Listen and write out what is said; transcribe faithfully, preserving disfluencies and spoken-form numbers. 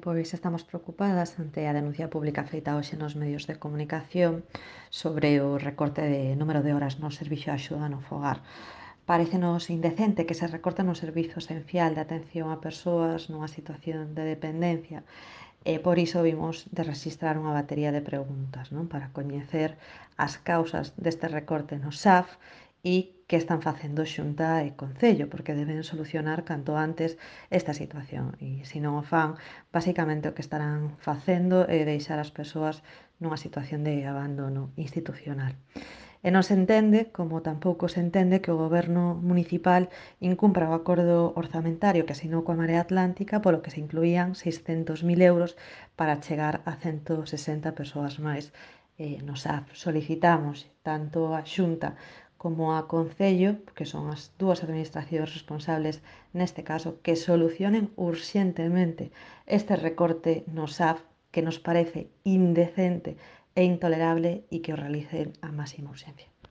Pois estamos preocupadas ante a denuncia pública feita hoxe nos medios de comunicación sobre o recorte de número de horas no servicio de axuda no fogar. Parécenos indecente que se recorte no servizo esencial de atención a persoas nunha situación de dependencia e por iso vimos de registrar unha batería de preguntas, non? Para coñecer as causas deste recorte no S A F e que están facendo Xunta e Concello, porque deben solucionar canto antes esta situación. E se non o fan, basicamente o que estarán facendo é deixar as persoas nunha situación de abandono institucional. E non se entende, como tampouco se entende, que o goberno municipal incumpra o acordo orzamentario que asinou coa Marea Atlántica polo que se incluían seiscentos mil euros para chegar a ciento sesenta persoas máis eh, no S A F. Solicitamos tanto a Xunta como a Concello, que son as dúas administracións responsables neste caso, que solucionen urxentemente este recorte no S A F que nos parece indecente e intolerable e que o realicen a máxima urxencia.